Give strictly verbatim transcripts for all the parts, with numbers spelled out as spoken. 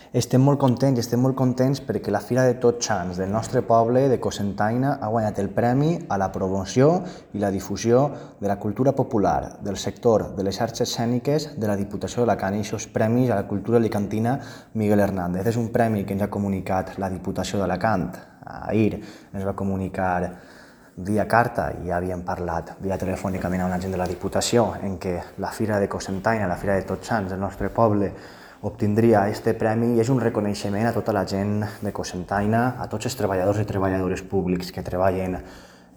Estem molt contents i estem molt contents perquè la Fira de Tots Sants del nostre poble de Cocentaina ha guanyat el premi a la promoció i la difusió de la cultura popular, del sector de les arts escèniques de la Diputació d'Alacant i aquests premis a la cultura alicantina Miguel Hernández. És un premi que ens ha comunicat la Diputació d'Alacant. Ahir ens va comunicar via carta, i ja havíem parlat via telefònicament amb la gent de la Diputació, en què la Fira de Cocentaina, la Fira de Tots Sants del nostre poble, obtindria aquest premi i és un reconeixement a tota la gent de Cocentaina, a tots els treballadors i treballadores públics que treballen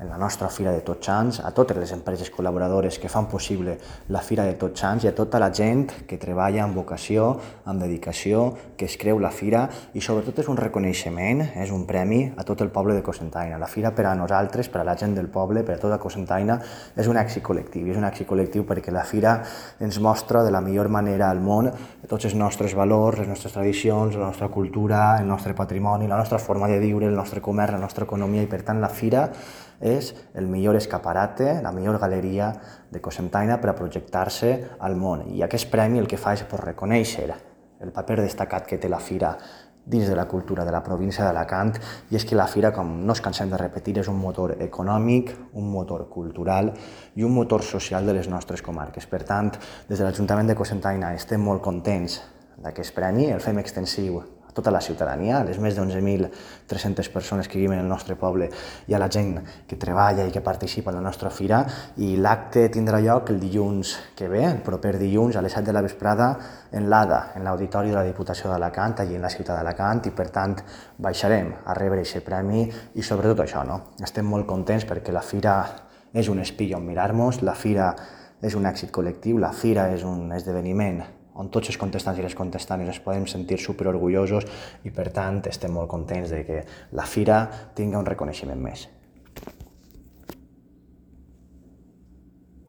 en la nostra Fira de Tots Sants, a totes les empreses col·laboradores que fan possible la Fira de Tots Sants i a tota la gent que treballa amb vocació, amb dedicació, que es creu la Fira i sobretot és un reconeixement, és un premi a tot el poble de Cocentaina. La Fira per a nosaltres, per a la gent del poble, per a tota Cocentaina, és un èxit col·lectiu. I és un èxit col·lectiu perquè la Fira ens mostra de la millor manera al món tots els nostres valors, les nostres tradicions, la nostra cultura, el nostre patrimoni, la nostra forma de viure, el nostre comerç, la nostra economia i per tant la Fira és el millor escaparate, la millor galeria de Cocentaina per a projectar-se al món. I aquest premi el que fa és reconèixer el paper destacat que té la Fira dins de la cultura de la província d'Alacant i és que la Fira, com no ens cansem de repetir, és un motor econòmic, un motor cultural i un motor social de les nostres comarques. Per tant, des de l'Ajuntament de Cocentaina estem molt contents d'aquest premi, el fem extensiu a tota la ciutadania, a les més d'onze mil tres-centes persones que viuen en el nostre poble i a la gent que treballa i que participa en la nostra Fira, i l'acte tindrà lloc el dilluns que ve, el proper dilluns a les set de la vesprada en l'Ada, en l'Auditori de la Diputació d'Alacant, allí en la ciutat d'Alacant, i per tant baixarem a rebre aquest premi i sobretot això, no? Estem molt contents perquè la Fira és un espill on mirar-nos, la Fira és un èxit col·lectiu, la Fira és un esdeveniment on tots els contestants i les contestants es podem sentir superorgullosos i per tant estem molt contents de que la Fira tingui un reconeixement més.